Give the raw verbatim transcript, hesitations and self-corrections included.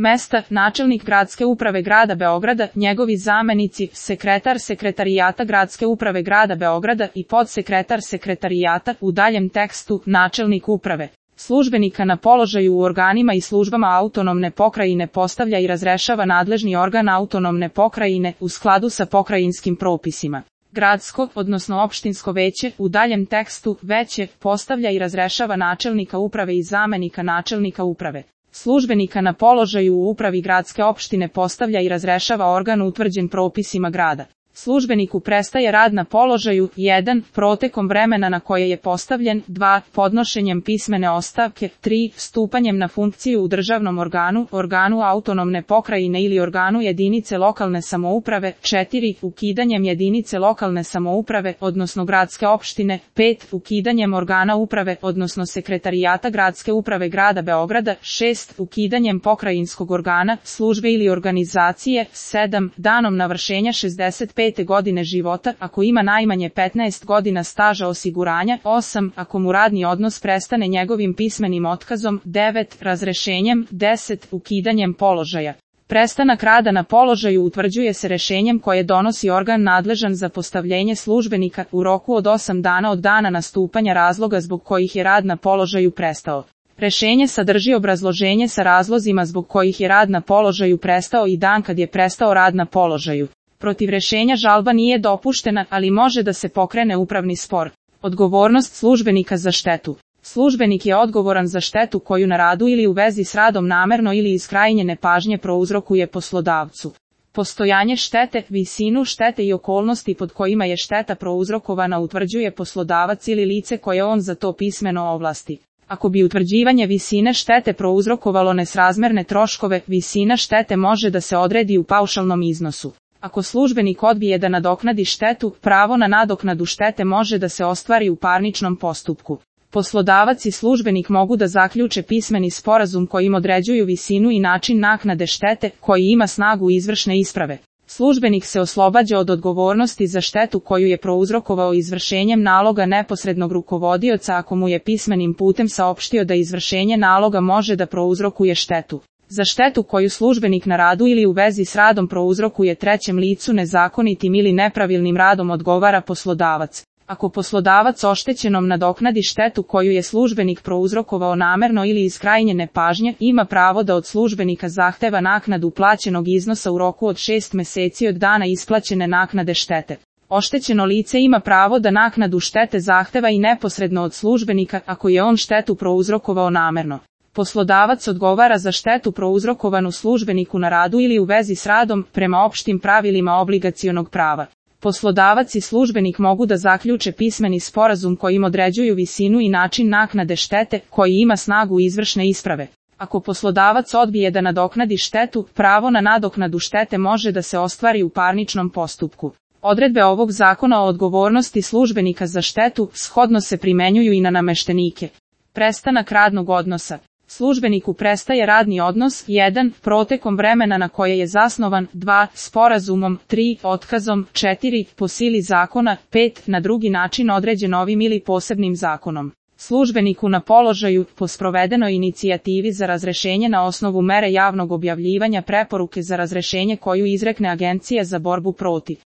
Mesta: načelnik gradske uprave grada Beograda, njegovi zamenici, sekretar sekretarijata gradske uprave grada Beograda i podsekretar sekretarijata, u daljem tekstu, načelnik uprave. Službenika na položaju u organima i službama autonomne pokrajine postavlja i razrešava nadležni organ autonomne pokrajine u skladu sa pokrajinskim propisima. Gradsko, odnosno opštinsko veće, u daljem tekstu, veće, postavlja i razrešava načelnika uprave i zamenika načelnika uprave. Službenika na položaju u upravi gradske opštine postavlja i razrešava organ utvrđen propisima grada. Službeniku prestaje rad na položaju jedan protekom vremena na koje je postavljen, dva podnošenjem pismene ostavke, tri stupanjem na funkciju u državnom organu, organu autonomne pokrajine ili organu jedinice lokalne samouprave, četiri ukidanjem jedinice lokalne samouprave, odnosno gradske opštine, pet ukidanjem organa uprave, odnosno sekretarijata gradske uprave grada Beograda, šest ukidanjem pokrajinskog organa, službe ili organizacije, sedam danom navršenja šezdeset pete godine života, ako ima najmanje petnaest godina staža osiguranja, osam ako mu radni odnos prestane njegovim pismenim otkazom, devet razrešenjem, deset ukidanjem položaja. Prestanak rada na položaju utvrđuje se rešenjem koje donosi organ nadležan za postavljenje službenika u roku od osam dana od dana nastupanja razloga zbog kojih je rad na položaju prestao. Rešenje sadrži obrazloženje sa razlozima zbog kojih je rad na položaju prestao i dan kad je prestao rad na položaju. Protiv rešenja žalba nije dopuštena, ali može da se pokrene upravni spor. Odgovornost službenika za štetu. Službenik je odgovoran za štetu koju na radu ili u vezi s radom namerno ili iz krajnje nepažnje prouzrokuje poslodavcu. Postojanje štete, visinu štete i okolnosti pod kojima je šteta prouzrokovana utvrđuje poslodavac ili lice koje on za to pismeno ovlasti. Ako bi utvrđivanje visine štete prouzrokovalo nesrazmerne troškove, visina štete može da se odredi u paušalnom iznosu. Ako službenik odbije da nadoknadi štetu, pravo na nadoknadu štete može da se ostvari u parničnom postupku. Poslodavac i službenik mogu da zaključe pismeni sporazum kojim određuju visinu i način naknade štete, koji ima snagu izvršne isprave. Službenik se oslobađa od odgovornosti za štetu koju je prouzrokovao izvršenjem naloga neposrednog rukovodioca ako mu je pismenim putem saopštio da izvršenje naloga može da prouzrokuje štetu. Za štetu koju službenik na radu ili u vezi s radom prouzrokuje trećem licu nezakonitim ili nepravilnim radom odgovara poslodavac. Ako poslodavac oštećenom nadoknadi štetu koju je službenik prouzrokovao namerno ili iz krajnje nepažnje, ima pravo da od službenika zahteva naknadu plaćenog iznosa u roku od šest meseci od dana isplaćene naknade štete. Oštećeno lice ima pravo da naknadu štete zahteva i neposredno od službenika ako je on štetu prouzrokovao namerno. Poslodavac odgovara za štetu prouzrokovanu službeniku na radu ili u vezi s radom prema opštim pravilima obligacionog prava. Poslodavac i službenik mogu da zaključe pismeni sporazum kojim određuju visinu i način naknade štete, koji ima snagu izvršne isprave. Ako poslodavac odbije da nadoknadi štetu, pravo na nadoknadu štete može da se ostvari u parničnom postupku. Odredbe ovog zakona o odgovornosti službenika za štetu shodno se primenjuju i na nameštenike. Prestanak radnog odnosa. Službeniku prestaje radni odnos jedan protekom vremena na koje je zasnovan, dva sporazumom, tri otkazom, četiri po sili zakona, pet na drugi način određen ovim ili posebnim zakonom. Službeniku na položaju, po sprovedenoj inicijativi za razrešenje na osnovu mere javnog objavljivanja preporuke za razrešenje koju izrekne Agencija za borbu protiv